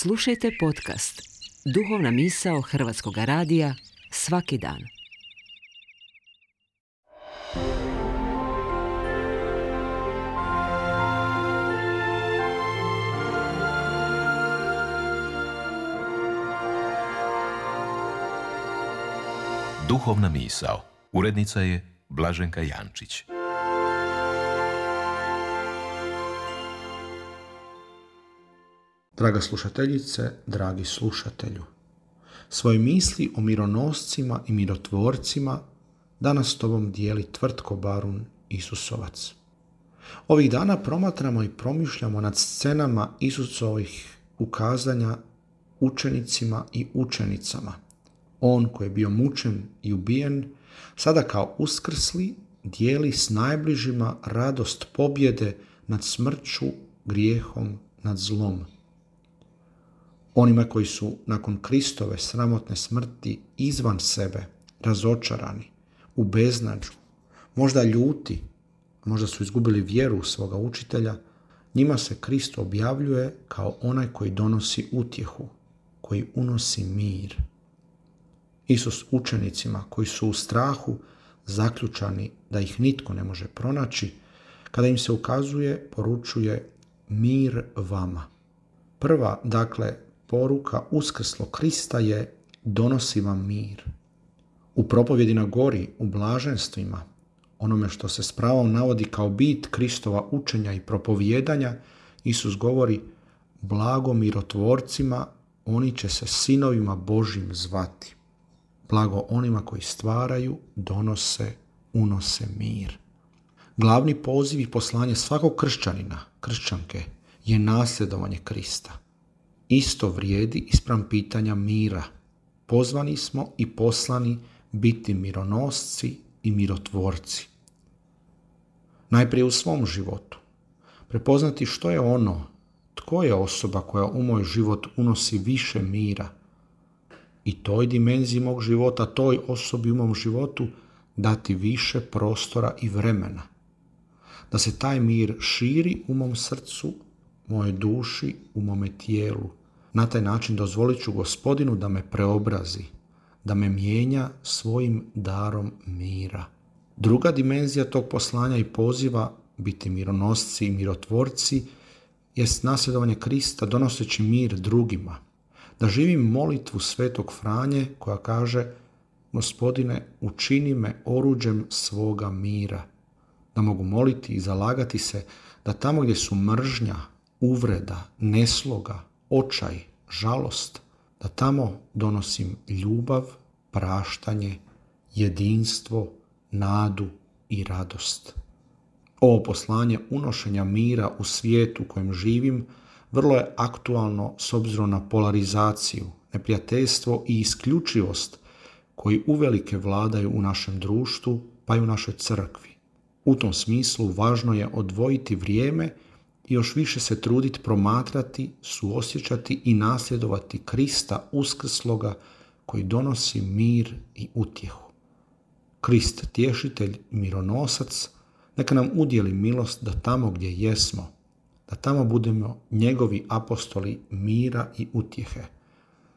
Slušajte podcast Duhovna misao Hrvatskog radija svaki dan. Duhovna misao. Urednica je Blaženka Jančić. Draga slušateljice, dragi slušatelju, svoje misli o mironoscima i mirotvorcima danas s tobom dijeli Tvrtko Barun Isusovac. Ovih dana promatramo i promišljamo nad scenama Isusovih ukazanja učenicima i učenicama. On koji je bio mučen i ubijen, sada kao uskrsli dijeli s najbližima radost pobjede nad smrću, grijehom, nad zlom. Onima koji su nakon Kristove sramotne smrti izvan sebe, razočarani, u beznađu, možda ljuti, možda su izgubili vjeru u svoga učitelja, njima se Krist objavljuje kao onaj koji donosi utjehu, koji unosi mir. Isus učenicima koji su u strahu zaključani da ih nitko ne može pronaći, kada im se ukazuje, poručuje mir vama. Prva, dakle, poruka uskrslog Krista je donosi vam mir. U propovjedi na gori, u blaženstvima, onome što se s pravom navodi kao bit Kristova učenja i propovijedanja, Isus govori blago mirotvorcima, oni će se sinovima Božjim zvati. Blago onima koji stvaraju, donose, unose mir. Glavni poziv i poslanje svakog kršćanina, kršćanke, je nasljedovanje Krista. Isto vrijedi ispram pitanja mira. Pozvani smo i poslani biti mironosci i mirotvorci. Najprije u svom životu. Prepoznati što je ono, tko je osoba koja u moj život unosi više mira. I toj dimenziji mog života, toj osobi u mom životu dati više prostora i vremena. Da se taj mir širi u mom srcu, mojoj duši, u mome tijelu. Na taj način dozvolit ću Gospodinu da me preobrazi, da me mijenja svojim darom mira. Druga dimenzija tog poslanja i poziva biti mironosci i mirotvorci jest nasljedovanje Krista donoseći mir drugima. Da živim molitvu Svetog Franje koja kaže Gospodine, učini me oruđem svoga mira. Da mogu moliti i zalagati se da tamo gdje su mržnja, uvreda, nesloga, očaj, žalost, da tamo donosim ljubav, praštanje, jedinstvo, nadu i radost. Ovo poslanje unošenja mira u svijetu u kojem živim vrlo je aktualno s obzirom na polarizaciju, neprijateljstvo i isključivost koji uvelike vladaju u našem društvu pa i u našoj crkvi. U tom smislu važno je odvojiti vrijeme i još više se truditi promatrati, suosjećati i nasljedovati Krista uskrsloga koji donosi mir i utjehu. Krist, tješitelj, mironosac, neka nam udjeli milost da tamo gdje jesmo, da tamo budemo njegovi apostoli mira i utjehe,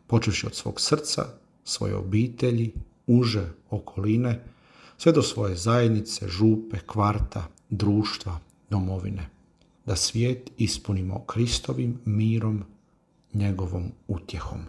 počevši od svog srca, svoje obitelji, uže okoline, sve do svoje zajednice, župe, kvarta, društva, domovine. Da svijet ispunimo Kristovim mirom, njegovom utjehom.